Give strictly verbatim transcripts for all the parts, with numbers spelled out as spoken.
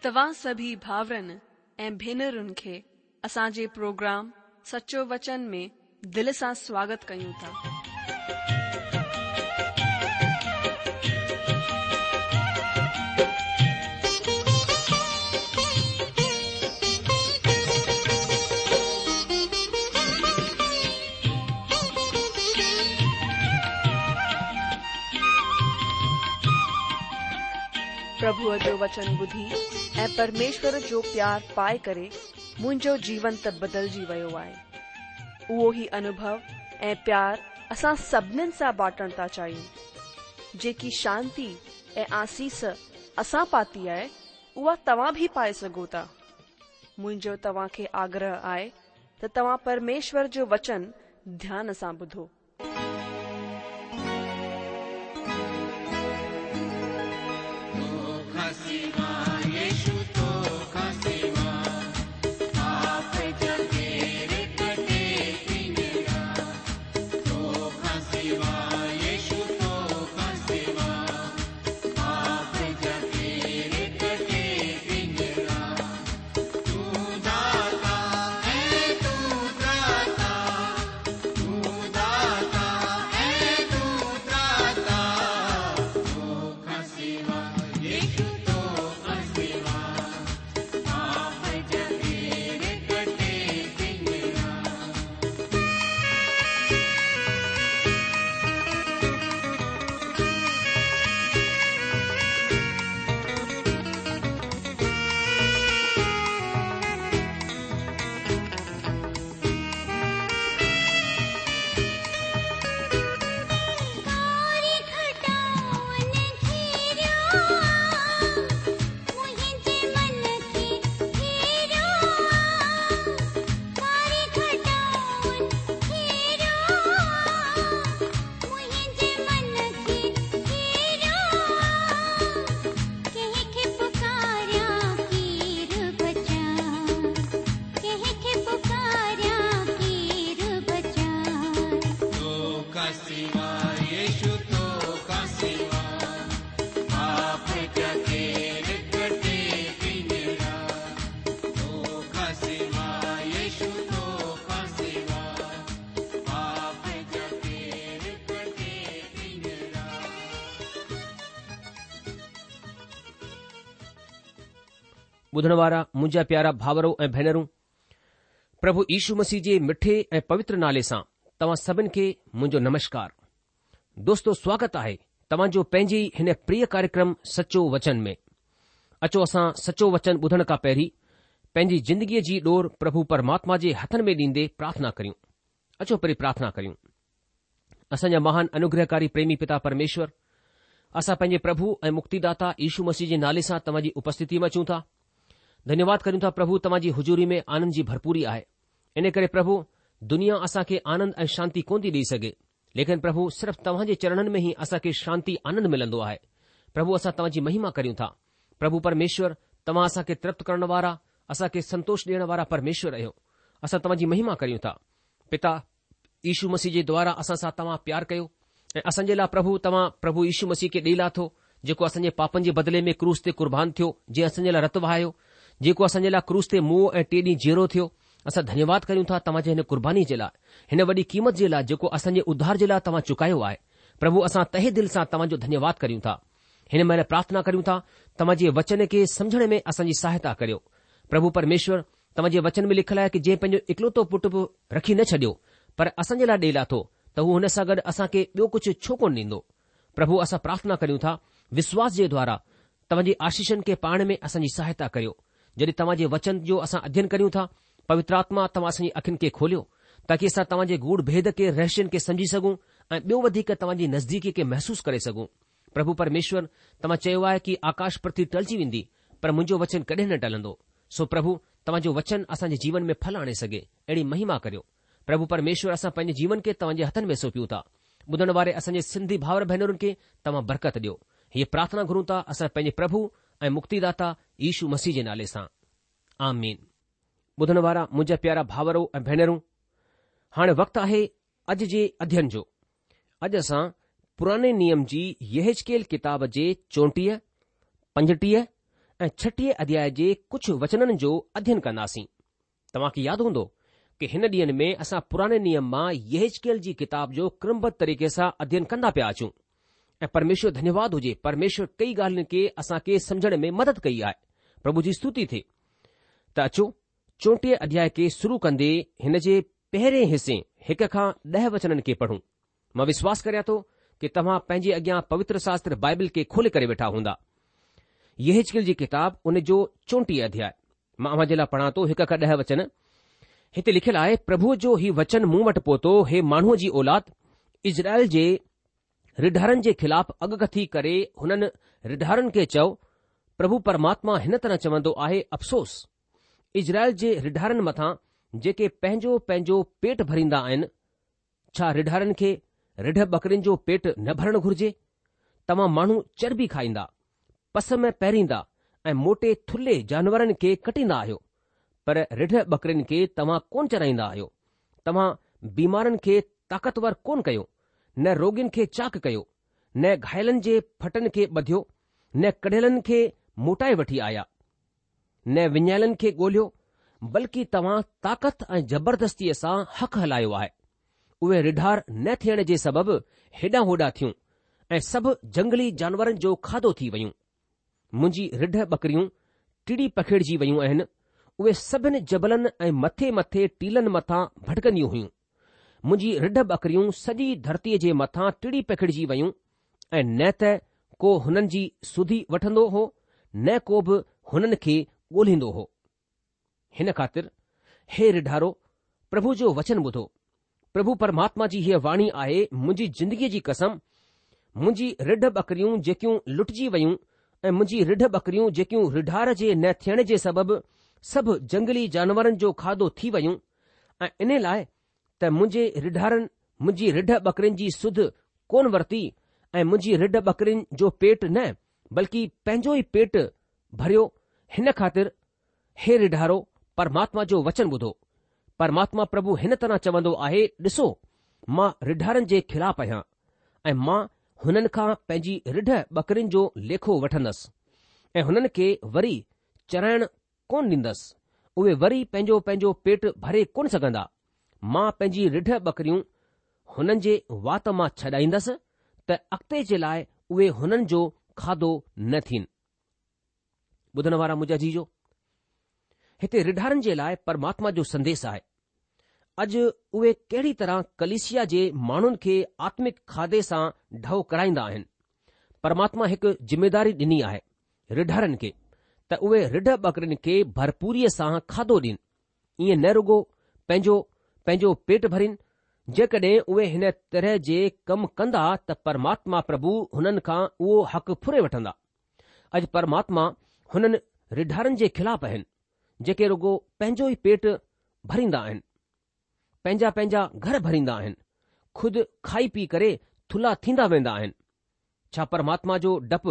توهان سڀئي ڀائرن ۽ ڀينرن کي اسان جي پروگرام سچو وچن ۾ دل سان سواگت ڪيون ٿا. پرڀوءَ جو وچن ٻڌي ۽ پرميشور جو پيار پائي ڪري منهنجو جيون ته بدلجي ويو آهي. اهو ئي انوڀو ۽ پيار اسان سڀنين سان بانٽڻ ٿا چاهيون. جيڪي شانتي ۽ آسيس اسان پاتي آهي، اها توهان به پائي سگهو ٿا. منهنجو توهان کي آگرهه آهي ته توهان پرميشور جو وچن ڌيان سان ٻڌو. ٻڌڻ وارا منهنجا پيارا ڀائرو ۽ ڀينرون، پرڀو يشو مسيح جي مٺي ۽ پوتر نالي سان توهان سڀن کي منهنجو نمشڪار. دوستو سواگت آهي توهان جو پنهنجي ئي هن پريه ڪاريڪرم سچو وچن ۾. اچو اسان سچو وچن ٻڌڻ کان پهرين پنهنجي زندگيء جي ڏور پرڀو پرماتما جي هٿن ۾ ڏيندي پرارٿنا ڪريون. اچو پهرين پرارٿنا ڪريون. اسان جا مهان انوگرهڪاري پريمي پتا پرميشور، اسان پنهنجي پرڀو ۽ مڪتيداتا يشو مسيح جي نالي سان توهان جي اپسٿتي ۾ اچون ٿا. ڌنيواد ڪريون ٿا پرڀو توهان جي حضوري ۾ آنند جي ڀرپوري آهي. ان ڪري پرڀو دنيا اسان کي آنند ۽ شانتي ڪونه ٿي ڏئي سگهي. ليڪن پرڀو صرف توهان جي چرڻن ۾ ئي اسان کي شانتي آنند ملندو آهي. پرڀو اسان توهان جي مهما ڪريون ٿا. پرڀو پرميشور توهان اسان کي ترپت ڪرڻ وارا، اسان کي سنتوش ڏيڻ وارا پرميشور آهيو. اسان توهان جي مهما ڪريون ٿا. پتا يشو مسيح جي دوارا اسان سان توهان پيار ڪيو ۽ اسان جي لاء پرڀو توهان پرڀو يشو مسيح کي ڏئي لاٿو، جيڪو اسان جي پاپن جي بدلي ۾ ڪروس تي قربان ٿيو، جنهن اسان جي لاء رت وهايو، جيڪو اسان جي لاء ڪروس تي مئو ۽ ٽئين ڏينهن جيئرو ٿيو. اسان ڌنيواد ڪريون ٿا توهان جي هن قرباني جي لاء، هن وڏي قيمت جي لاء جيڪو اسان جي اڌار جي لاء توهان چڪايو آهي. پرڀو اسان تهي دل سان توهان جو ڌنيواد ڪريون ٿا. هن مهل پرارٿنا ڪريون ٿا توهان جي وچن کي سمجهڻ ۾ اسان جي سهائتا ڪريو. پرڀو پرميشور توهان جي وچن ۾ لکيل آهي ڪه جنهن پنهنجو اڪلوتو پٽ به رکي نه ڇڏيو پر اسان جي لاء ڏئي لاٿو ته هو هن سان گڏ اسان کي ٻيو ڪجهه ڇو ڪونه ڏيندو. پرڀو اسان پرارٿنا ڪريون ٿا وشواس جي دوارا توهان جي آشيشن کي پائڻ ۾ اسان جي سهائتا ڪريو. جڏهن توهان جي وچن جو اسان اڌين ڪريون ٿا، پوتر آتما توهان اسان جي اکين کي کوليو تاڪه اسان توهان جي گوڙ ڀيد کي رهسين کي سمجهي سگهون ۽ ٻيو وڌيڪ توهان جي نزديڪي کي محسوس ڪري سگهون. پرڀو پرميشور توهان چيو آهي ڪه آڪاش پرٿوي ٽلجي ويندي پر منهنجو وچن ڪڏهن نه ٽلندو. سو پرڀو توهان جو وچن اسان جي جيون ۾ ڦل آڻي سگهي اهڙي مهما ڪريو. پرڀو پرميشور اسان پنهنجي جيون کي توهان جي هٿن ۾ سونپيون ٿا. ٻڌڻ واري اسان جي سنڌي ڀائر ڀينرن کي توهان برڪت ڏيو. هيءَ پرارٿنا گهرون ٿا اسان پنهنجي پرڀو ۽ مڪتيداتا يشو مسيح جي نالي سان. آمين. ٻڌڻ وارا منهنجا پيارا ڀائرو ۽ ڀينرون، هاڻي وقت آهي اڄ جي اڌين جو. اڄ اسان پراڻي نيم جي يحزقيل ڪتاب جي چوٽيهه، پنجٽيهه ۽ ڇٽيهه اڌياء جي ڪجهه وچنن جو اڌين ڪنداسين. توهان کي ياد هوندو ڪه هن ڏينهن ۾ اسان پراڻي نيم مان يحزقيل جي ڪتاب جو ڪرمبڌ طريقي سان اڌين ڪندا پيا اچون ۽ پرميشور ڌنيواد هجي پرميشور ڪئي ڳالهين کي اسان کي سمجهڻ ۾ مدد ڪئي آهي. پرڀو جي استوتي ٿئي. ته اچو چوٽيهه اڌياء کي شروع ڪندي هن جي پهرين حصي هڪ کان ڏهه وچنن کي پڙهون. مان وشواس ڪريان ٿو ڪه توهان پنهنجي اڳيان پوتر شاستر بائبل کي کولي ڪري ويٺا هوندا. يحزقيل جي ڪتاب ان جو چوٽيهه اڌياء. مان اوهان جي لاء پڙهان ٿو هڪ کان ڏهه وچن. هتي لکيل آهي، پرڀوء جو هي وچن مون وٽ پهتو، هي ماڻهوء جي اولاد، اسرائيل جي رڍارن جي خلاف اڳڪٿي ڪري هنن رڍارن کي چئو، پرڀو پرماتما هن طرح چوندو آهي، افسوس! اسرائيل جي رڍارن مٿان جيڪي پنهنجو پنهنجو پيٽ ڀريندا آهن، ڇا رڍارن کي رڍ ٻڪرين جو پيٽ نه ڀرڻ گهرجي؟ توهان ماڻهو چرٻي کائيندا، پسم پهريندا ۽ موٽي ٿلهي جانورن کي ڪٽيندا آهيو، پر رڍ ٻڪرين کي توهان ڪونه چرائيندا آهيو. توهان بيمارن کي طاقتور ڪونه ڪيو، نه روڳين کي چاڪ ڪيو، نه گهايلن جي ڦٽن کي ٻڌيو، نه ڪڍيلن کي موٽائي وٺي آيا، نه وڃايلن کي ڳولهيو، بلڪه توهان طاقت ۽ زبردستيء سان حق هلايو آهي. اهي رڍار نه ٿيڻ جي سبب هيڏانهن هوڏانهن ٿيون ۽ سڀ جنگلي جانورن جو کاڌو ٿي ويون. منهنجي رڍ ٻڪريون ٽڙي پکيڙجي ويون آهن، اهي سڀن جبلن ۽ مٿي مٿي ٽيلن مٿان ڀٽڪنديون هيون. منهنجي رڍ ٻڪريون سڄي ڌرتيء جي مٿان ٽڙي پکيڙجي ويون ۽ نه ته ڪو هنن جي سڌي وٺندو هو نه ڪو به هنن کي ڳولهيندو هو. هن خاطر، هي رڍارو، پرڀو جو وچن ٻڌو. پرڀو پرماتما جي هيء واڻي آهي، منهنجي زندگيء جي قسم، منهنجي رڍ ٻڪريون جيڪيون لٽجي ويون ۽ منهنجي رڍ ٻڪريون جيڪيون رڍار جي نه ٿيڻ جي سبب سڀ جنگلي جانورن جو کاڌو ٿي ويون ۽ انهي لاء ته منهنجي رڍارن منهنجي رڍ ٻڪرين جي سڌ ڪونه ورتي ۽ منهنجي رڍ ٻڪرين جو پيٽ نه بلڪه پنهنجو ئي پيٽ ڀريو هن خاطر هي رڍارو پرماتما جو وچن ٻڌو. پرماتما پرڀو هن طرح چوندو آهي، ڏسو، مان رڍارن جي خلاف آهيان ۽ مان هنن کان پنهنجي رڍ ٻڪرين جو ليکو وٺندس ۽ هنن کي وري چرائڻ ڪونه ڏيندس، اهي وري پنهنجو پنهنجو پيٽ ڀري ڪونه سگهندا. مان پنهنجي رڍ ٻڪريون هنن جي وات مان ڇڏائيندس ته اڳتي جي لاء اهي هنن جو کاڌو نه ٿين. ٻڌڻ وارا منهنجا عزيزو، هتي رڍارن جي لاء پرماتما جو سنديش آهي. اڄ اهي ڪهڙي طرح ڪليسيا جي ماڻهن کي آتمڪ کاڌي سان ڍؤ ڪرائيندا آهن. پرماتما هڪ ذميداري ڏني آهي رڍارن کي ته اهي رڍ ٻڪرين کي ڀرپوريء سان کاڌو ڏين. ائين نه رڳو پنهنجو پنهنجو پيٽ ڀرين، جيڪڏهن اهي هن طرح جي ڪم ڪندا ته پرماتما پرڀو هنن کان اهو حق ڦري وٺندا. اڄ پرماتما هنن رڍارن جي خلاف آهن، جيڪي رڳو پنهنجو ئي پيٽ ڀريندا آهن، پنهنجا پنهنجا گهر ڀريندا آهن، خود کائي پي ڪري ٿلها ٿيندا ويندا آهن. ڇا پرماتما جو ڊپ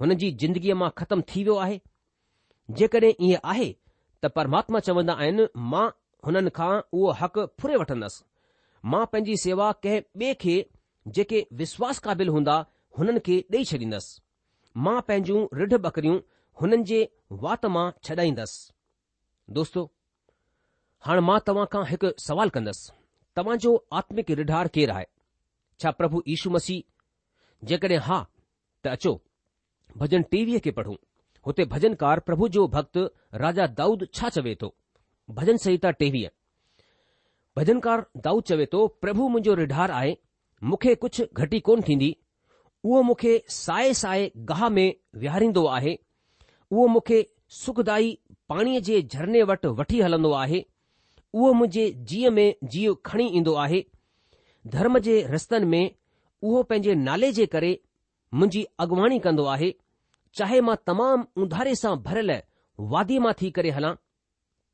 هنن جي زندگيء مان ختم ٿي ويو آهي؟ جيڪڏهن ائين آهي ته پرماتما چوندا آهن، مان هنن کان اهو حق ڦري وٺندس. مان پنهنجي سيوا ڪنهن ٻئي کي جيڪي وشواس قابل هوندا هنن کي ڏئي ڇڏيندس. مان پنهنجون رڍ ٻڪريون هنن جي وات مان ڇڏائيندس. دوستو، هاڻ مان توهان کان هڪ سوال ڪندس، توهان جو آتمڪ رڍار ڪير آهي؟ ڇا پرڀو يشو مسيح؟ جيڪڏهن ها ته اچو ڀڄن ٽيويهه کي پڙهون. هتي ڀڄنڪار پرڀو جو ڀڳت راجا دائود ڇا چوي ٿو؟ ڀڄن سنهتا ٽيويهه. ڀڄنڪار دائود چوي ٿو، پرڀو منهنجو رڍار آهي، مون کي ڪجهه گهٽي ڪونه ٿيندي. اهو مون کي سائي سائي گاهه ۾ ويهاريندو آهي. اهو مون کي سکدائي پاڻيء جي جهرني وٽ وٺي هلندو آهي. اهو منهنجي جيء ۾ جيء کڻي ايندو آهي. ڌرم جي رستن ۾ اهو پنهنجي نالي جي ڪري منهنجي اڳواڻي ڪندو آهي. چاهي مان تمام اونڌاري سان ڀريل واديء مان ٿي ڪري هلان،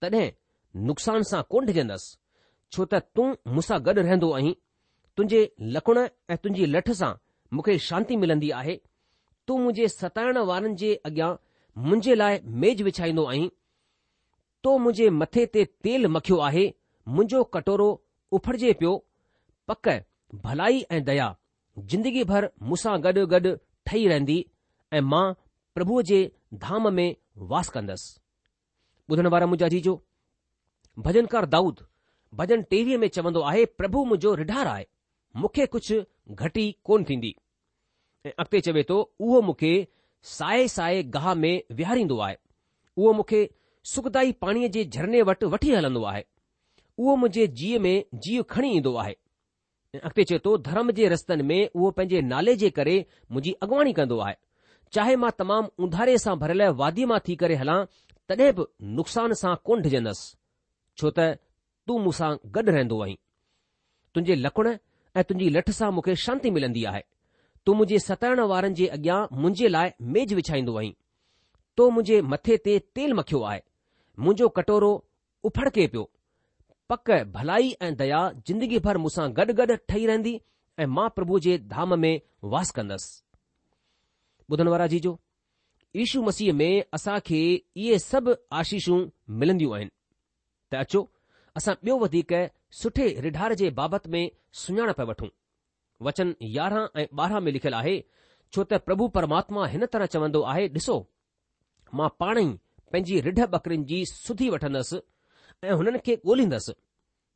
تڏهن نقصان سان ڪونه ڊڄندس، ڇو ته تون مون سان گڏ رهندو آهين. تنهنجي لڪڻ ۽ تنهنجي لٺ سان مون کي شانتي ملندي آهي. تون منهنجي ستائڻ وارن جي اڳيان منهنجي لاء ميز وڇائيندو آهين. تو منهنجي مٿي تي تيل مکيو آهي، منهنجو ڪٽورو اڦڙجي پيو. پڪ ڀلائي ۽ ديا زندگي ڀر مون سان گڏ گڏ ٺهي رهندي ۽ مان پرڀوء جي ڌام ۾ واس ڪندس. ٻڌڻ وارا منهنجا عزيزو، ڀجنڪار دائود ڀجن ٽيويهه ۾ چوندو آهي، پرڀو منهنجو رڍار آهي، مون کي ڪجهه گهٽي ڪونه ٿيندي. ۽ اڳتي چوي ٿو، اهو مون کي سائي سائي گاهه ۾ ويهاريندو آهي، اهو مون کي سکدائي پاڻيء جي جهرني وٽ وٺي هلندو آهي، اهو منهنجي جيء ۾ جيء کڻي ايندو آهي. ۽ اڳتي چئي ٿو، ڌرم جي رستن ۾ اهو پنهنجي نالي جي ڪري منهنجي اڳواڻي ڪندو آهي. چاهي مان تمام اونڌاري سان ڀريل واديء مان ٿي ڪري هلان، تڏهن به نقصان سان ڪونه ڊڄندس، ڇو ته تون مون سان گڏ رهندو آهين. تنهنجي لڪڻ ۽ تنهنجي لٺ سان مون کي شانتي ملندي آهي. تون منهنجي ستائڻ وارن جي اڳيان منهنجي لاء ميز وڇائيندو آهين. تو منهنجي مٿي تي تيل مکيو آهي. منهنجو ڪٽورو اڦڙڪي پيو. پڪ ڀلائي ۽ ديا زندگي ڀر مون سان گڏ گڏ ٺهي رهندي ۽ مان پرڀو جي ڌام ۾ واس ڪندس. ٻڌڻ وارا عزيزو، يشو مسيح ۾ اسان کي اهي سڀ آشيشون ملنديون آهن. ته اچو اسان ٻيو وڌيڪ سٺي رڍار جي بابت ۾ سڃاڻپ وٺون. وچن يارهن ۽ ٻارهن ۾ لکيل آهي، ڇو ته پرڀو پرماتما هن طرح چوندو آهي، ڏسو، مان پاڻ ئي پنهنجي رڍ ٻڪرين جي سڌي وٺندس ۽ هنن کي ڳولهيندس،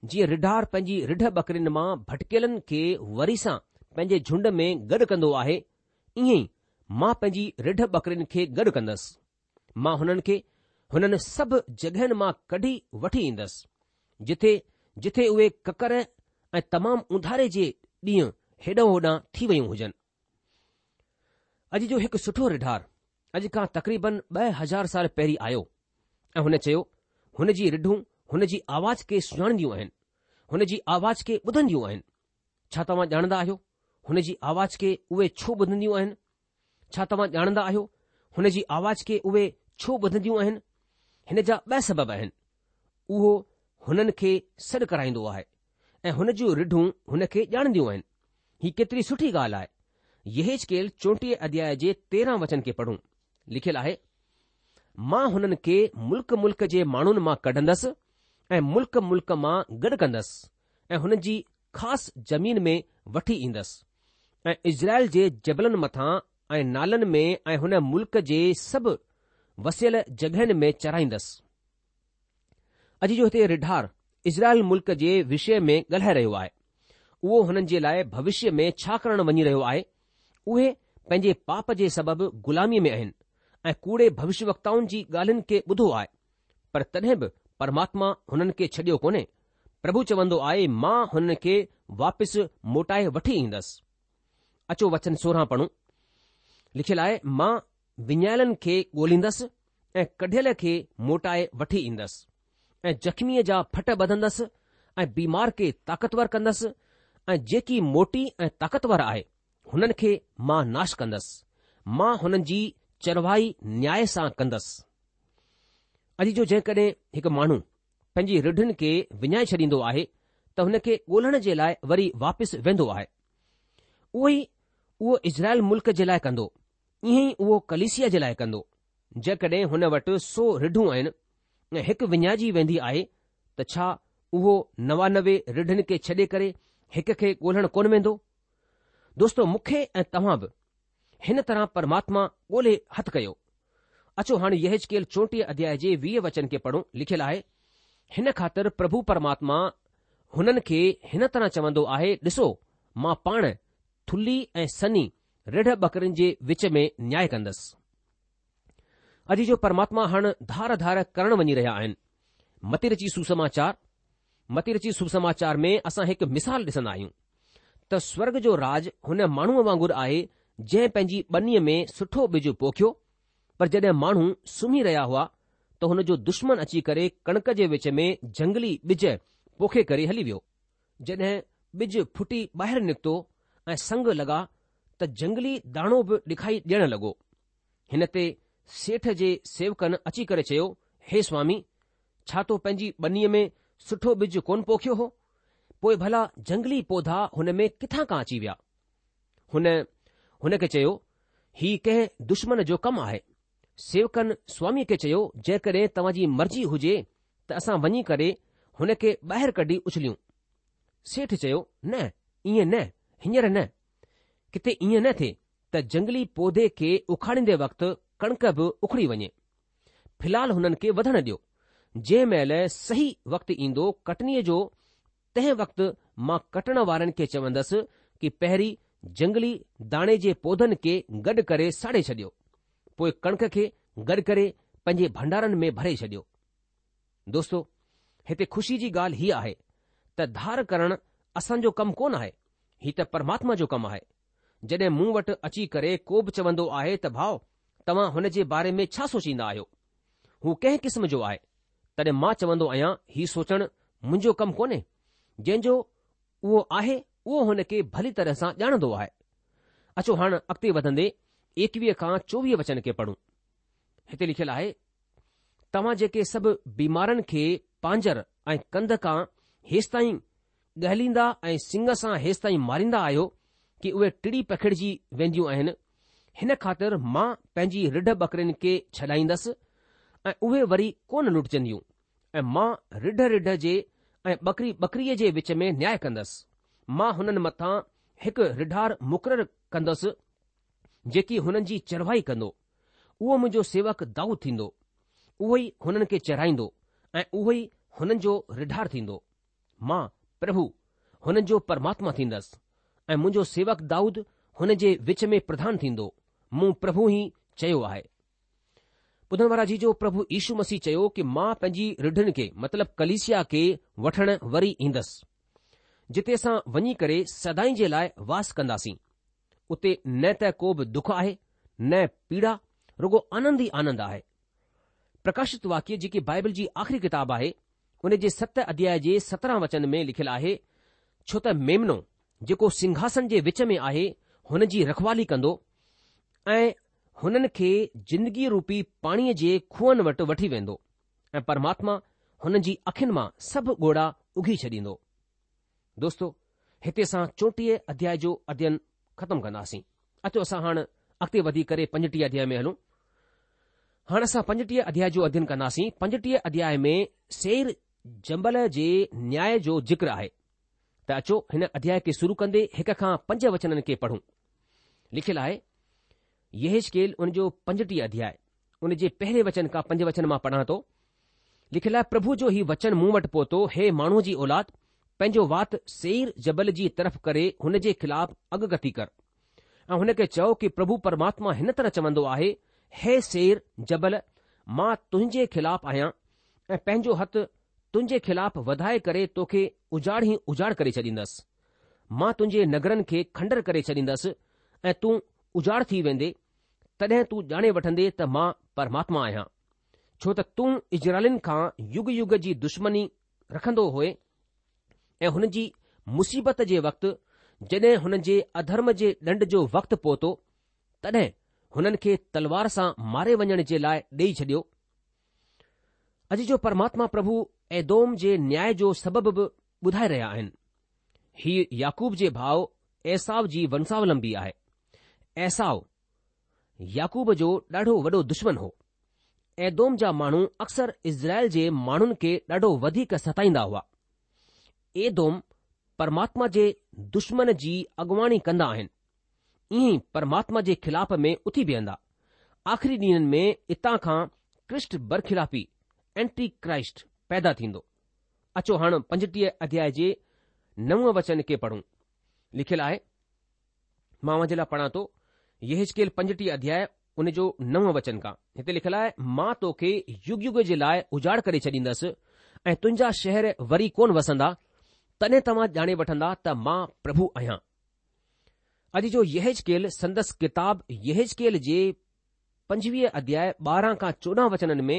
جيئن رڍار پنهنجي رڍ ٻڪرين مان ڀٽڪيلن کي وري سان پنهنجي جهنڊ ۾ گڏ ڪندو آهي، ائين ئي مان پنهنجي رڍ ٻڪرين کي گڏ ڪندس. مان هنن کي هنن سڀ جڳهين مان ڪڍي وٺي ايندس، جٿي جٿي اهي ڪڪر ۽ تمام اونڌاري جي ڏينهن هيڏانهن هوڏانهن ٿي ويون هجن. اڄ جو هڪ سٺو رڍار اڄ کان تقريبن ٻه هزار سال پهرين آيو ۽ هن چيو، هن جي رڍون هن جي آواز کي سڃاڻنديون آهن، هن جي آواز کي ٻڌنديون آهن. ڇا توهان ڄاڻندا آهيو هن جي آواز کي اهي ڇو ٻڌنديون آهن؟ ڇا توهان ڄاڻندا آهيو هن جي آواز کي اهي ڇو ٻڌنديون آهن؟ هن جا ٻه سبب آهن. اهو هنن کي سڏ ڪرائيندو آهي ۽ هن جون رڍون هن کي ڄاڻنديون آهن. هي ڪيتري سٺي ڳالهه آهي. يحيزڪيل چوٽيهه اڌياء جي تيرهن وچن کي پڙهون. لکيل آهي، مان هنن کي ملڪ ملڪ جي ماڻهن مان ڪڍندس ۽ ملڪ ملڪ مان گڏ ڪندس ۽ هنن جي خاص زمين ۾ وٺي ايندس ۽ اسرائيل جي جبلن مٿان ۽ نالن ۾ ۽ هن ملڪ جي سڀ وسيل جڳهين ۾ چرائيندس. اڄ جو هتي رڍار اسرائيل ملڪ جي وشي ۾ ڳالهائي رهيو آهي. اهو هنن جي لاء ڀوشيه ۾ ڇا ڪرڻ وڃي رهيو آهي؟ اهي پنهنجي پاپ جي سبب غلاميء ۾ آهن ۽ ڪوڙي ڀوشيوڪتائن جي ڳالهين کي ٻڌو آهي، پر تڏهن به پرماتما هنن کي ڇڏيو ڪونهي. پرڀو چوندو آهي، مان هنن کي واپس موٽائي وٺي ايندس. اچو وچن سورهن پڙهون. لکيل آهي، مان وڃايلن کي ڳولهيندس ۽ ڪڍيل کي موٽائي وٺي ايندس ۽ زخميء جا ڦٽ ٻڌندس ۽ بيمار کي طاقتور ڪندس ۽ جيڪي موٽي ۽ طاقتور آهي هنن کي مان ناش ڪندس. مان هنن جي چرواهي نياء سان ڪندس. اڄ جو جيڪڏهن هڪ ماڻهو پنهنجي رڍن کي وڃائي ڇڏيندو آهي ته هن کي ڳولهڻ جي لاء وري واپس ويندو آهي. اهو ئي اهو اسرائيل ملڪ جي لاء ڪندو، ائين ئي اهو ڪليسيا جي لاء ڪندو. جيڪڏهن هن وٽ سو رڍون آهن ۽ هڪ وڃائجي ويندي آهي ته ڇا اهو نوانوي رڍن کي ڇڏي ڪري هڪ کي ڳولهڻ ڪونه ويندو؟ دوستو مون کي ۽ توهان به هن طرح پرماتما ڳولهي هٿ ڪيو. اچو هاڻي يحيزڪيل چوٽيهه اڌياء جي ويهه وچن کي پڙهون، لکيل آهي، هن خاطر پرڀو پرماتما هنن کي هن طرح چوندو آهي، ڏسو، مان پاڻ ٿلهي ۽ سنهي رڍ ٻڪرين جي وچ ۾ نياء ڪندس. اڄ جو پرماتما هاڻ ڌار ڌار ڪرڻ وڃي رهيا آهن. متي رچي سوسماچار، متي رچي سوسماچار ۾ اسان هڪ مثال ڏسندا آهيون ته سورگ جو راڄ هن ماڻهوء وانگر آهي جنهن پنهنجي ٻنيء ۾ سٺو ٻج پوکيو، پر جڏهن ماڻهو سمهي رهيا هئا ته هن جو دشمن اچي ڪري ڪڻڪ جي وچ ۾ جهنگلي ٻج پوکي ڪري هلي ويو. جڏهن ٻج ڦٽي ٻاهر نڪتو ۽ سنگ لڳا ته جهنگلي داڻو به ڏکائي ڏيڻ لڳو. هن تي سيٺ جي سيوڪن اچي ڪري چيو، هي سوامي، ڇا تو پنهنجي ٻنيء ۾ سٺو ٻج ڪونه پوکيو هو؟ پوء ڀلا جهنگلي پوڌا هن ۾ ڪٿان کان اچي ويا؟ هن هن کي چيو، هي ڪنهن دشمن جو ڪم آهي. سيوڪن سواميء کي چيو، جيڪڏهن توهان جي مرضي هجي ته اسان وڃي ڪري هن کي ٻاهر ڪڍي اڇليون. سيٺ چيو، نه، ائين نه، هينئر نه. ڪٿي ائين نه ٿئي ته جهنگلي پوڌي کي اکاڙيندي وقت ڪڻڪ به اکڙي وڃي. في الحال هنن کي وڌڻ ڏيو. جنهن مهل صحيح وقت ايندو ڪٽنيء جو، تنهن وقت مان ڪٽڻ وارن کي چوندس ڪه پهرين جنگلي داڻي جي پوڌن کي گڏ ڪري ساڙي ڇڏيو، پوء ڪڻڪ کي گڏ ڪري پنهنجي ڀنڊارن ۾ ڀري ڇڏيو. دوستو، هتي خوشي جي ڳالهه هيء آهي ته ڌار ڪرڻ اسان جو ڪم ڪونه آهي، هي ته پرماتما جو ڪم آهي. جڏهن مون وٽ اچي ڪري ڪو به چوندو آهي ته ڀاء توهان هن جي باري ۾ ڇا سوچيندا آهيو، هو ڪنهن قسم جو آهي، تڏهن مان چوندو آهيان هي سوچڻ منهنجو ڪم ڪونهي، جنهن جو اهو آهي اهو هن کي ڀلي طرح سان ڄاڻندو آهي. اچو هاڻ اڳتي وڌندي ايڪويهه کان چوويهه وچن کي پڙهون. هتي لکيل آهي، توهان جيڪي سڀ بيمارن کي پانجر ۽ ڪنڌ کان هيستائين ڳهليندا ۽ سڱ سان هيستائين ماريندا آهيو ڪي اهي ٽڙي پکڙجي وينديون آهن، هن خاطر مان پنهنجي رڍ ٻڪرين کي ڇڏائيندس ۽ اهي وري ڪونه لٽجنديون ۽ مان رڍ رڍ جي ۽ ٻڪري ٻڪريء جي وچ ۾ نياء ڪندس. مان هنن مٿان هڪ رڍار مقرر ڪندس جيڪي هنن جي چرواهي ڪندو. اهو منهنجو سيوڪ دائود ٿيندو. اهو ئي هنن کي چرائيندو ۽ اهو ئي هنن جو رڍار ٿيندو. مان، پرڀو، هنن جو پرماتما ٿيندس ۽ منهنجو سيوڪ دائود هن جي وچ ۾ پرڌان ٿيندو. مون پرڀو ئي چيو آهي. ٻڌڻ وارا عزيزو، پرڀو يشو مسيح چيو ڪي مان پنهنجي رڍن کي مطلب ڪليسيا کي وٺڻ وري ايندس، جتي اسان وڃي ڪري سدائين جي لاء واس ڪنداسين. اتي نه ته ڪو به دک آهي، نه پيڙا، رڳو آنند ئي آنند آهي. پرڪاشت واڪيه جيڪي بائبل جي آخري ڪتاب آهي، ان جي ست اڌياء جي سترهن وچن ۾ لکيل آهي، ڇو ته ميمنو جيڪو سنگهاسن جي وچ ۾ آهي هن جي رکوالي ڪندو ۽ هنن کي زندگي روپي پاڻيء جي کوهن وٽ وٺي ويندو ۽ پرماتما هنن جي اکين مان سڀ ڳوڙها اگهي ڇڏيندو. دوستو، هتي اسان چوٽيهه اڌياء جو اڌيين ختم ڪنداسين. اچو اسان هاڻ اڳتي وڌي ڪري پنجٽيهه اڌياء ۾ هلون. هاڻ اسان پنجٽيهه اڌياء جو اڌيين ڪنداسين. پنجٽيهه اڌياء ۾ سيئر جبل جي نياء جو ذڪر آهي. ته اچو هن اڌياء کي شروع ڪندي هڪ کان پنج وچنن کي پڙهون. لکيل آهي، يحزقيل ان جو پنجٽيهه اڌياء ان جي پهرين وچن کان پنج وچن مان پڙهان ٿو. لکيل آهي، پرڀو جو هي وچن مون وٽ پهتو، هي ماڻهوء جي اولاد، پنهنجو وات سيئر جبل جي طرف ڪري هن جي خلاف اڳڪٿي ڪر ۽ هن کي چئو ڪي پرڀو پرماتما هن طرح چوندو آهي، هي سيئر جبل، مان تنهنجي خلاف آهيان ۽ پنهنجو هٿ تنهنجي خلاف وڌائي ڪري توکي اجاڙ ئي اجاڙ ڪري ڇڏيندس. مان تنهنجي نگرن کي کنڊر ڪري ڇڏيندس ۽ تون اجاڙ ٿي ويندي، تڏهن تون ڄاڻي وٺندي ته مان پرماتما آهيان. ڇو ته تون اسرائيلين کان يگ يگ جي دشمني رکندو هئي ۽ هن جي مصيبت جي وقت جڏهن هنن جي اڌرم جي ڏنڊ جو وقت پهتو، تڏهن هنن کي تلوار سان ماري وڃڻ جي لاء ڏيئي ڇڏيو. اڄ جو پرماتما پرڀو ايدوم جي نياء جو سبب به ٻڌائي رهيا آهن. هيء يعقوب جي ڀاء عيساو جي ونساولمبي آهي. عيساو يعقوب جو ڏاڍو وڏو دشمن هو. ايدوم جا ماڻهو اڪثر اسرائيل جي ماڻهن کي ڏاڍو وڌيڪ ستائيندا هئا. ايدوم پرماتما جي دشمن جي اڳواڻي ڪندا آهن. ائين ئي پرماتما جي خلاف ۾ اٿي بيهندا. آخري ڏينهن ۾ اتان کان ڪرسٽ برخلافي، Anti Christ، پيدا ٿيندو. اچو هاڻ پنجٽيهه اڌياء جي نو وچن کي پڙهون. لکيل آهي، مان اوهان جي لاء پڙهان ٿو، يحزقيل پنجٽيهه اڌياء ان جو نو وچن کان. هتي لکيل آهي، مان توکي يگ يگ جي لاء اجاڙ ڪري ڇڏيندس ۽ تنهنجا شهر وري ڪونه وسندا، تڏهن توهان ڄاڻي وٺندا ته مان پرڀو آهيان. اڄ جو يحزقيل سندس ڪتاب يحزقيل جي پنجويهه اڌياء ٻارهن کان چوڏهن وچنن ۾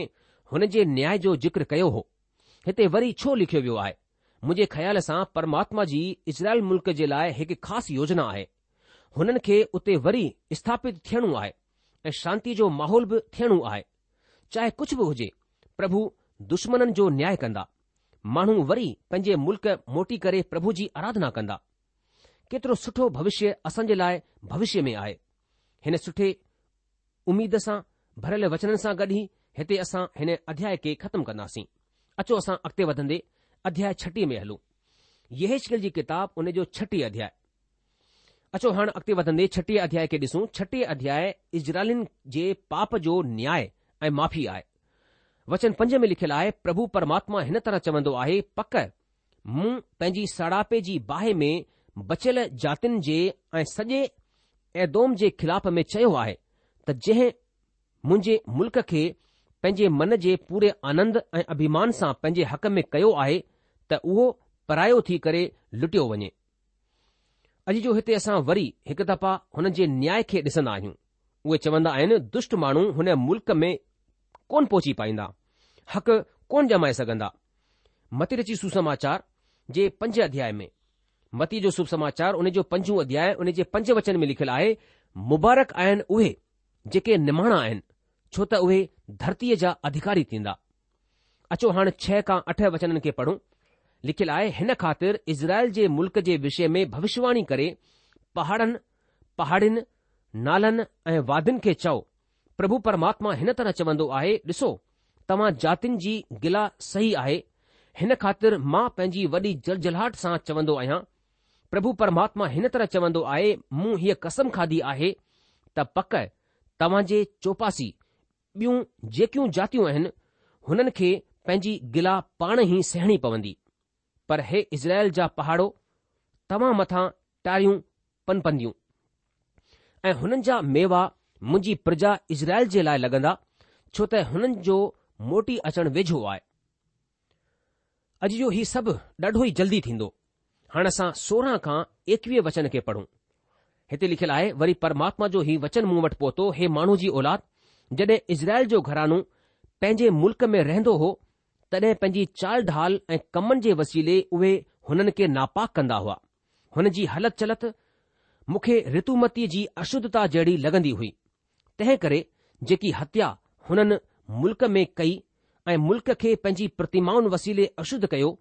هن جي نياء جو ذڪر ڪيو هو. هتي وري ڇو لکيو ويو آهي؟ منهنجي خيال سان پرماتما جي اسرائيل ملڪ جي لاء هڪ خاص يوجنا آهي. هنن کي اتي وري اسٿاپت ٿيڻو آهي ۽ شانتي جو ماحول به ٿيڻو آهي. چاهي ڪجهه به هجي، پرڀو دشمنن جو نياء ڪندا. ماڻهو وري پنهنجي ملڪ موٽي ڪري پرڀو جي آراڌنا ڪندا. ڪيترو سٺو ڀوشيه اسان جي لاء ڀوشيه ۾ آهي. هن سٺي اميد سان ڀريل وچنن سان گڏ ئي هتي اسان هن اڌياء کي ختم ڪنداسين. اچو اسان اڳتي وڌندي اڌياء ڇٽيهه ۾ هلون. يحزقيل جي ڪتاب ان جو ڇٽيهه اڌياء. اچو هاڻ اڳتي وڌندي ڇٽيهه اڌياء کي ڏسون. ڇٽيهه اڌياء اسرائيلين جي پاپ جو نياء ۽ معافي آهي. وچن پنج ۾ لکيل آهي، پرڀو پرماتما هن طرح چوندو آهي، پڪ مون پنهنجي ساڙاپي جي باهه ۾ بچيل جاتين جي ۽ سڄي ايدوم جي خلاف ۾ چيو آهي ته جنهن منهنجي ملڪ کي پنهنجي من جي پوري آنند ۽ اڀيمان سان پنهنجي حق ۾ ڪيو آهي ته اهو پرايو ٿي ڪري لٽيو وڃي. عزيزو هتي اسان وري هڪ دفعا هن جي نياء کي ڏسندا آهيون. اهي چوندا آهن دشٽ ماڻهو هن ملڪ ۾ ڪونه پهچي پائيندا، حق ڪونه ڄمائي سگهندا. متي رچي سوسماچار جي پنج اڌياء ۾، متي جو سوسماچار ان جو پنجون اڌياء ان جي پنج وچن ۾ لکيل آهي، مبارڪ آهن اهي جيڪي نماڻا آهن، ڇو ته اهي ڌرتيء جا اڌڪاري ٿيندا. اچو هاڻ ڇهه کان اٺ وچنن کي پڙهون. لکيل آهي، هن خاطر اسرائيل جي ملڪ جي وشي ۾ ڀوشواڻي ڪري پهاڙن، پهاڙين، نالن ۽ وادين کي چئو، پرڀو پرماتما هن طرح چوندو آهي، ڏسو، توهان جاتين جي گلا صحيح آهي، هن خاطر مان پنهنجي وڏي جلجلاهٽ سان چوندو آهيان، پرڀو پرماتما هن طرح چوندو آهي، مون هيء قسم کاڌي آهي ته پڪ توهان جي چوپاسي ٻيون جيڪيون جاتيون آهن، هنن کي پنهنجي گلا پاڻ ئي سهڻي پوندي. پر هي اسرائيل جا پهاڙو، توهان مٿان ٽاريون پنپنديون ۽ هنن جا ميوا منهنجي پرجا اسرائيل جي لاء لڳندا، ڇو ته هنن جو موٽي اچڻ ويجهو آهي. عزيزو هي سڀ ڏاڍو ئي جلدي ٿيندو. هاڻ اسان سورهن کان ايڪويهه وچن کي پڙهون. هتي لکيل آهي، وري پرماتما جو هي وچن مون وٽ پهتو، هي ماڻهو جي اولاد، جڏهن اسرائيل جو گهراڻو پنهنجي ملڪ ۾ رهندو هو، تڏهن پنهنجي چال ڍال ۽ ڪمن جي وسيلي اهي هنن کي ناپاڪ ڪندا هئا. هن جي هلت چلت مون کي رتومتيء جي اشڌتا جهڙي لڳندي هئي. تنهن ڪري جيڪي هتيا هنن ملڪ ۾ ڪئي ۽ ملڪ کي پنهنجي پرتمائن وسيلي اشڌ ڪيو،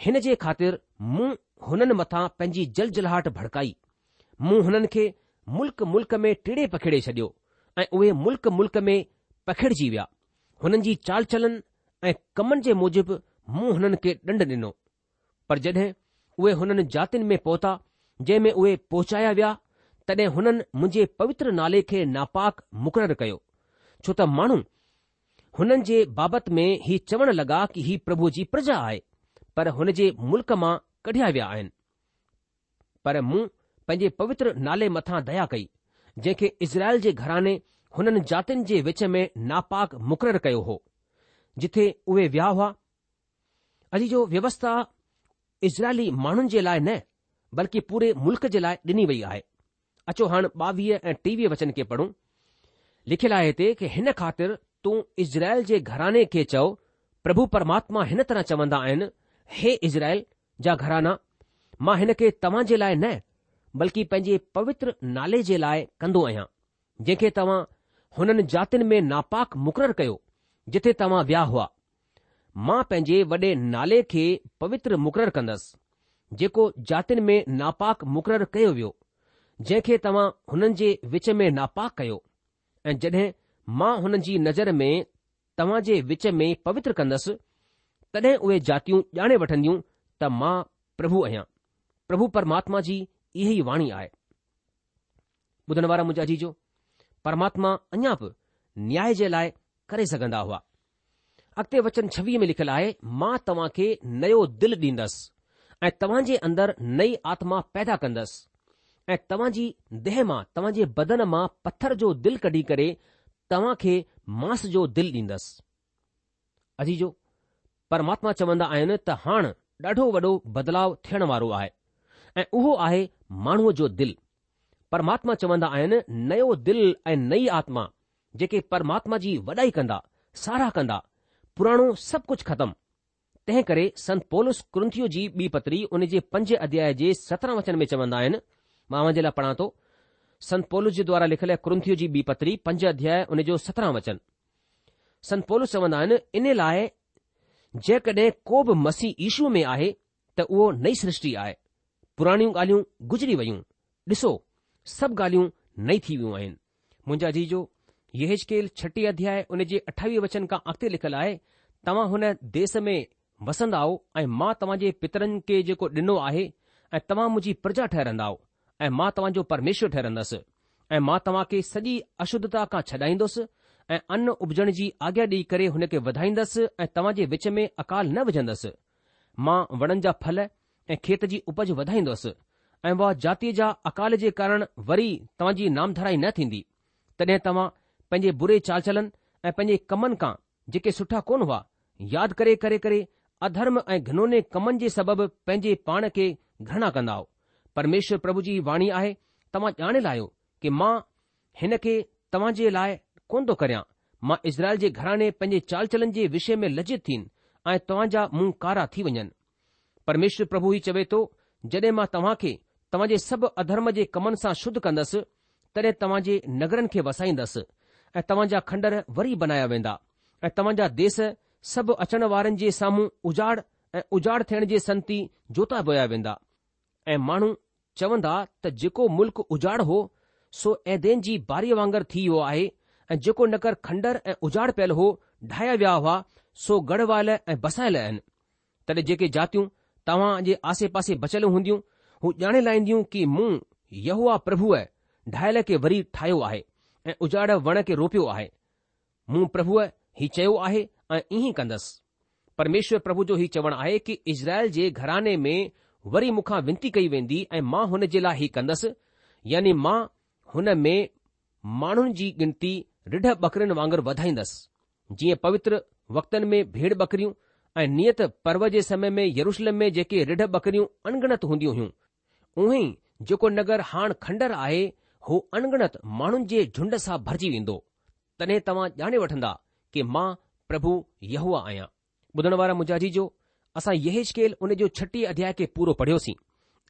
هن جي خاطر مون هنن مٿان پنهنجي جلجلاهٽ ڀڙڪائي. مون هنن کي ملڪ ملڪ ۾ ٽيڙي پکيڙي ڇڏيو ۽ اهي ملڪ ملڪ ۾ پکڙجي ويا. هنن جي چال چلن ۽ ڪمن جي موجب مون هنن کي ڏنڊ ڏنو. پر جڏهن اهي هنن جاتين ۾ پهتا، جنهن ۾ اهي پهچايا ويا، تڏهن هنن منهنجي پوتر نالي کي ناپاڪ مقرر ڪيو، ڇو ته ماڻهو هنن جي بابت ۾ هي چوڻ لڳا ڪي هي پرڀوء جي پرجا آهي، پر هن جي ملڪ مان ڪڍيا ويا آهن. پر مون پنهنجي پوتر نالي مٿان ديا ڪئي، جنهن کي اسرائيل جي گهراڻي هنن جاتين جي وچ ۾ ناپاڪ مقرر ڪيو هو، جٿي اهي ويا هئا. عزيزو ويوسٿا اسرائيلي ماڻهن جي لاء نه بلڪه پوري ملڪ جي لاء ڏني وئي آهي. اچو هاڻ ٻاويهه ۽ ٽيويهه وچن کي پڙهون. لکيل آهي هتي ڪي هن خاطر تون اسرائيل جي گهراڻي کي چئو، پرڀو پرماتما هن طرح چوندا آهن، هي اسرائيل جا گهرانا، مان هن کي توهان جي لاء نه بلڪه پنهنجي پوتر نالي جي لاء ڪندو آهيان، جنهن کي توهان هنن جاتين ۾ ناپاڪ مقرر ڪيو، جٿي توهان ويا هئا. مان پنهنجي وڏي نالي کي پوتر مقرر ڪندس، جيڪو جاتين ۾ ناپاڪ مقرر ڪيو ويو، جنهن کي توهان هنن جي وچ ۾ ناپاڪ ڪيو، ۽ جڏهن مان هنن جي نظر ۾ توهان جي وچ ۾ پوتر ڪندس، تڏهن اهي جاتيون ڄاڻي وٺنديون ته مان پرڀو آهيان. پرڀو پرماتما جي اها ئي واڻي آهي. ٻڌڻ وارا منهنجا عزيزو، پرماتما اڃا به نياء جي لاء ڪري سگهندا هئا. اڳتي وچن ڇويهه ۾ لکيل آهي، مان توهان کي نيو دل ڏيندس ۽ توهان جي اندر نئي آتما پيدا ڪندس ۽ توهان جي ديهه مان، توهان جي بدن مان پٿر جو دل ڪڍي ڪري توهان کي مانس جو دل ڏيندس. عزيزو! پرماتما چوندا آهن ته هاڻ ڏاڍو وڏو بدلاء ٿيڻ وارو آهي ۽ اهو آهي ماڻهوء جو دل. پرماتما چوندا آهن نيو دل ۽ نئي آتما جيڪي پرماتما جي وڏائي ڪندا، ساراهه ڪندا، پراڻو سڀ ڪجهه ختم. تنهن ڪري سنت پولس ڪرنٿيو جي ٻي پتري ان جي پنج اڌياء جي سترهن وچن ۾ چوندا آهن، مان اوهان جي لاء پڙهان ٿو، سنت پولس جي دوارا لکيل ڪرنٿيو جي ٻي پتري پنج اڌياء ان جو سترهن وچن. سنت پولس چوندا آهن، ان لاء جيڪڏهن ڪو به مسيح يشو ۾ آهي ته اهو نئي سرشٽي آهي، پراڻيون ڳالهيون گذري ويون، ڏسو، سڀ ڳالهيون نئي ٿي ويون آهن. منهنجا عزيزو، يحيزڪيل ڇٽيهه اڌياء ان جي اٺاويهه وچن کان اڳتي لکيل آهي، توهان هن ديس ۾ وسندائو ۽ مان توهان جي پترن کي جيڪو ڏنو آهي ۽ توهان منهنجي پرجا ٺهرندائو ۽ مان توهان جو پرميشور ٺهرندس ۽ مان توهان کي سڄي اشڌتا کان ڇڏائيندس ۽ ان اپجڻ جي آگيا ڏيئي ڪري هن کي وڌائيندس ۽ توهان جي وچ ۾ اڪال نه وجهندس. مان وڻن جا ڦل ۽ کيت جي اپج وڌائيندس ۽ اها جاتيء جا اڪال جي ڪارڻ وري توهان جي نامڌرائي نه ٿيندي. تڏهن توهان پنهنجي بري چالچلن ۽ پنهنجي ڪمن کان جيڪي سٺا ڪونه هئا، ياد ڪري ڪري ڪري اڌرم ۽ گهنوني ڪمن جي سبب پنهنجي پاڻ کي گهرڻا ڪندائو. پرميشور پرڀو جي واڻي آهي، توهان ڄاڻي لاهيو ڪه مان هن کي توهان جي لاء ڪونه ٿو ڪريان. مان اسرائيل جي گهراڻي پنهنجي چالچلن جي وشي ۾ لجت ٿين ۽ توهان جا منهن ڪارا ٿي وڃن. پرميشور پرڀو هي چوي ٿو، جڏهن مان توهان کي توهان جي سڀ اڌرم جي ڪمن سان شڌ ڪندس، تڏهن توهان جي نگرن کي وسائيندس ۽ توهان جا کنڊر وري بنايا ويندا ۽ توهان جا ديس سڀ اچڻ وارن جي سامهون اجاڙ ۽ اجاڙ ٿيڻ جي سنتي جوتا ويا ويندا ۽ ماڻهو چوندا ته جيڪو ملڪ اجاڙ هو، سو ايدين جي باريء وانگر ٿي ويو آهي ۽ جيڪو نگر کنڊر ۽ اجاڙ پيل هو، ڍايا ويا هئا، سو ڳڙهه ۽ بسايل آهن. تڏهن جيڪي جاتيون توهان جي آسي-پاسي بچيل هونديون، هو ڄاڻي لاهينديون ڪه مون يهوه پرڀوء ڍايل کي وري ٺاهيو آهي ۽ اجاڙ وڻ کي روپيو آهي. مون پرڀوء هي چيو آهي ۽ ائين ئي ڪندس. پرميشور پرڀو جو هي چوڻ آهي ڪه اسرائيل جي گهراڻي ۾ وري مون کان ونتي ڪئي ويندي ۽ مان هن جي لاء هي ڪندس، يعني مان هن ۾ ماڻهن جي ڳڻتي رڍ ٻڪرين وانگر وڌائيندس، جيئن پوتر وقتن ۾ ڀيڙ ٻڪريون ۽ نيت پرو جي سمي ۾ يروشلم ۾ جيڪي رڍ ٻڪريون اڻڳڻت هونديون هيون، اونهي ئي جيڪو نگر هاڻ کنڊر آهي، هو اڻڳڻت ماڻهن جي جهنڊ سان ڀرجي ويندو. تڏهن توهان ڄاڻي وٺندا ڪه مان پرڀو يهوه آهيان. ٻڌڻ وارا منهنجا عزيزو، اسان يحيزڪيل ان جو ڇٽيهه اڌياء کي پورو پڙهيوسين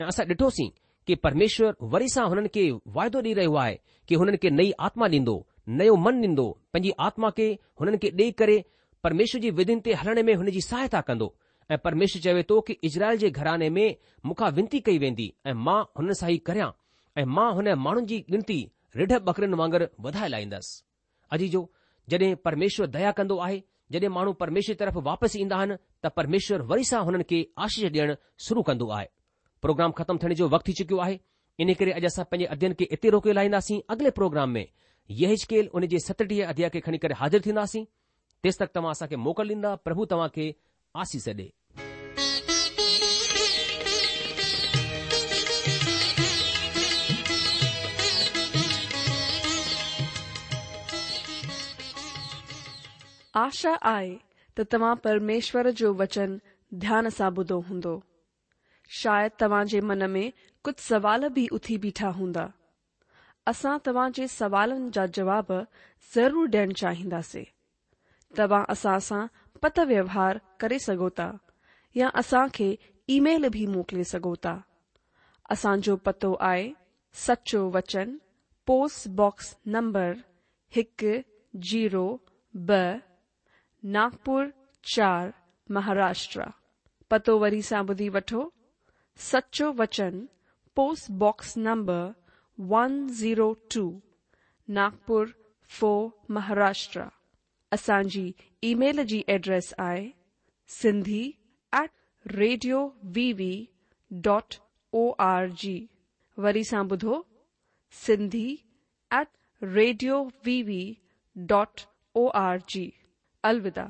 ۽ اسان ڏٺوسين ڪه پرميشور وري سان هنن کي واعدو ڏئي رهيو آهي ڪه هنن کي نئي آتما ڏيندو، نيو من ڏيندو، پنهنجي آتما کي هنن کي ڏئي ڪري پرميشور جي وڌين تي هلڻ ۾ هن جي سهائتا ڪندو ۽ پرميشور چوي ٿو ڪه اسرائيل جي گهراڻي ۾ مون کان ونتي ڪئي ويندي ۽ مان هنن سان هي ڪريان ۽ مان هن ماڻهن جي ڳڻتي رڍ ٻڪرين وانگر وڌائي لاهيندس. عزيزو، جڏهن پرميشور ديا ڪندو آهي، جڏهن ماڻهو پرميشور جي طرف واپس ايندا آهن ته پرميشور وري سان هنن کي آشيش ڏيڻ شروع ڪندو آهي. پروگرام ختم ٿيڻ جو وقت ٿي چڪيو آهي، ان ڪري اڄ اسان پنهنجي اڌيين کي اتي روڪي لاهينداسين. اڳلي پروگرام ۾ يحيزڪيل ان جي ستٽيهه اڌياء کي کڻي ڪري حاضر ٿينداسين. تيس تڪ توهان اسان کي موڪل ڏيندا. پرڀو توهان کي آشيش ڏي. آشا آهي ته توهان پرميشور جو وچن ڌيان سان ٻڌو هوندو. شايد توهان جي من ۾ ڪجهه سوال به اٿي بيٺا هوندا. اسان توهان جي سوالن جا جواب ضرور ڏيڻ چاهينداسين. توهان اسان سان پتر ويوهار ڪري سگهو ٿا يا اسان کي اي ميل به موڪلي سگهو ٿا. اسان جو پتو آهي سچو وچن پوسٽ باڪس نمبر هڪ زيرو ٻه ناگپور چار مهاراشٽر. پتو وري سان ٻڌي وٺو، سچو وچن post box number one zero two Nagpur four Maharashtra. اسان جي اي ميل جي ايڊريس آهي Sindhi at radio V V dot O R G. وري سان ٻڌو Sindhi at radio V V dot O R G. الوداع.